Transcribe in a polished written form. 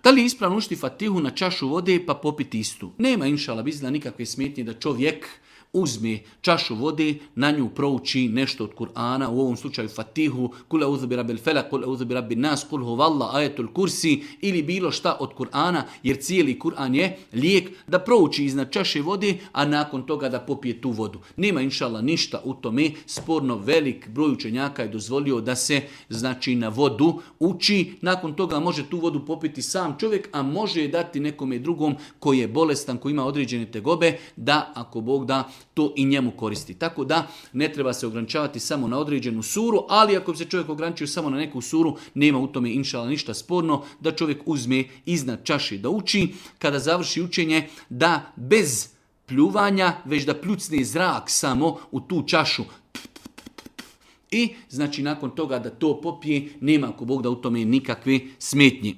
Da li je ispravno učiti Fatihu na čašu vode pa popiti istu? Nema inšala bizna nikakve smetnje da čovjek uzme čašu vode, na nju prouči nešto od Kur'ana, u ovom slučaju Fatihu, kul a'udhu bi rabbil felak, kul a'udhu bi rabbin nas, kul huvallah, ajetul kursi ili bilo šta od Kur'ana, jer cijeli Kur'an je lijek, da prouči iznad čaše vode, a nakon toga da popije tu vodu. Nema inšala ništa u tome, sporno velik broj učenjaka je dozvolio da se znači na vodu uči, nakon toga može tu vodu popiti sam čovjek, a može je dati nekome drugom koji je bolestan, koji ima određene tegobe, da ako Bog da to i njemu koristi. Tako da ne treba se ograničavati samo na određenu suru, ali ako bi se čovjek ograničio samo na neku suru, nema u tome inšala ništa sporno da čovjek uzme iznad čaše da uči. Kada završi učenje, da bez pljuvanja, već da pljucne zrak samo u tu čašu. I znači nakon toga da to popije, nema ako Bog da u tome nikakve smetnje.